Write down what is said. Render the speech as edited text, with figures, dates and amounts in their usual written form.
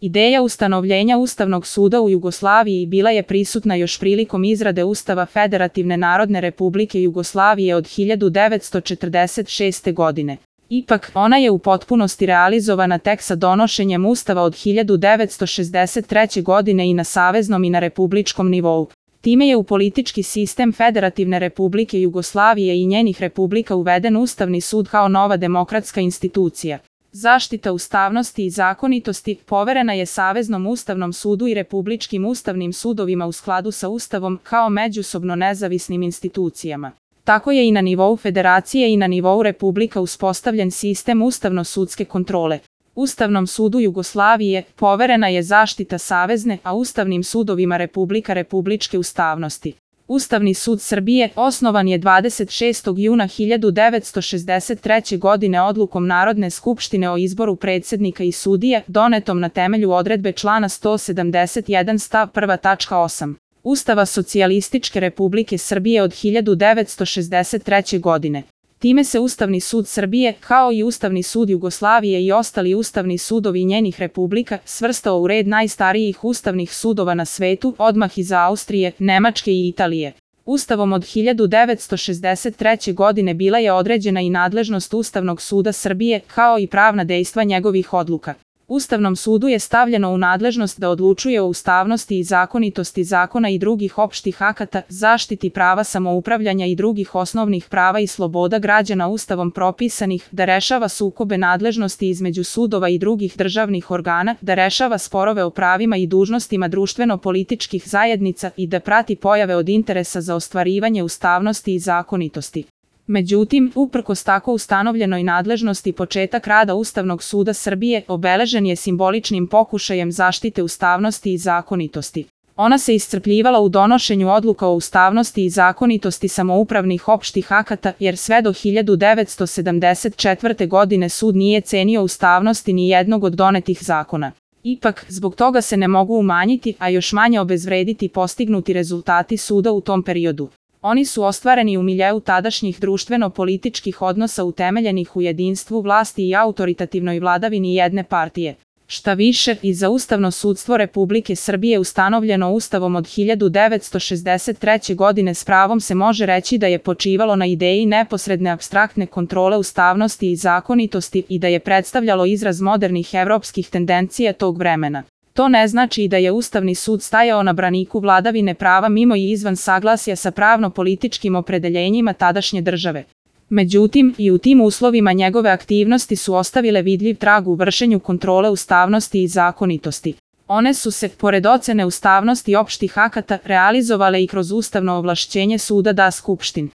Ideja ustanovljenja Ustavnog suda u Jugoslaviji bila je prisutna još prilikom izrade Ustava Federativne Narodne Republike Jugoslavije od 1946. godine. Ipak, ona je u potpunosti realizovana tek sa donošenjem Ustava od 1963. godine i na saveznom i na republičkom nivou. Time je u politički sistem Federativne Republike Jugoslavije i njenih republika uveden Ustavni sud kao nova demokratska institucija. Zaštita ustavnosti i zakonitosti poverena je Saveznom ustavnom sudu i republičkim ustavnim sudovima u skladu sa Ustavom kao međusobno nezavisnim institucijama. Tako je i na nivou federacije i na nivou republika uspostavljen sistem ustavno-sudske kontrole. Ustavnom sudu Jugoslavije poverena je zaštita savezne, a ustavnim sudovima republika republičke ustavnosti. Ustavni sud Srbije osnovan je 26. juna 1963. godine odlukom Narodne skupštine o izboru predsjednika i sudija, donetom na temelju odredbe člana 171 stav 1 tačka 8. Ustava Socijalističke Republike Srbije od 1963. godine. Time se Ustavni sud Srbije, kao i Ustavni sud Jugoslavije i ostali ustavni sudovi njenih republika, svrstao u red najstarijih ustavnih sudova na svetu, odmah iza Austrije, Nemačke i Italije. Ustavom od 1963. godine bila je određena i nadležnost Ustavnog suda Srbije, kao i pravna dejstva njegovih odluka. Ustavnom sudu je stavljeno u nadležnost da odlučuje o ustavnosti i zakonitosti zakona i drugih opštih akata, zaštiti prava samoupravljanja i drugih osnovnih prava i sloboda građana Ustavom propisanih, da rešava sukobe nadležnosti između sudova i drugih državnih organa, da rešava sporove o pravima i dužnostima društveno-političkih zajednica i da prati pojave od interesa za ostvarivanje ustavnosti i zakonitosti. Međutim, uprkos tako ustanovljenoj nadležnosti, početak rada Ustavnog suda Srbije obeležen je simboličnim pokušajem zaštite ustavnosti i zakonitosti. Ona se iscrpljivala u donošenju odluka o ustavnosti i zakonitosti samoupravnih opštih akata, jer sve do 1974. godine sud nije cenio ustavnosti ni jednog od donetih zakona. Ipak, zbog toga se ne mogu umanjiti, a još manje obezvrediti postignuti rezultati suda u tom periodu. Oni su ostvareni u miljeu tadašnjih društveno-političkih odnosa utemeljenih u jedinstvu vlasti i autoritativnoj vladavini jedne partije. Šta više, i za Ustavno sudstvo Republike Srbije ustanovljeno Ustavom od 1963. godine s pravom se može reći da je počivalo na ideji neposredne apstraktne kontrole ustavnosti i zakonitosti i da je predstavljalo izraz modernih evropskih tendencija tog vremena. To ne znači da je Ustavni sud stajao na braniku vladavine prava mimo i izvan saglasja sa pravno-političkim opredeljenjima tadašnje države. Međutim, i u tim uslovima njegove aktivnosti su ostavile vidljiv trag u vršenju kontrole ustavnosti i zakonitosti. One su se, pored ocene ustavnosti opštih akata, realizovale i kroz ustavno ovlašćenje suda da Skupštin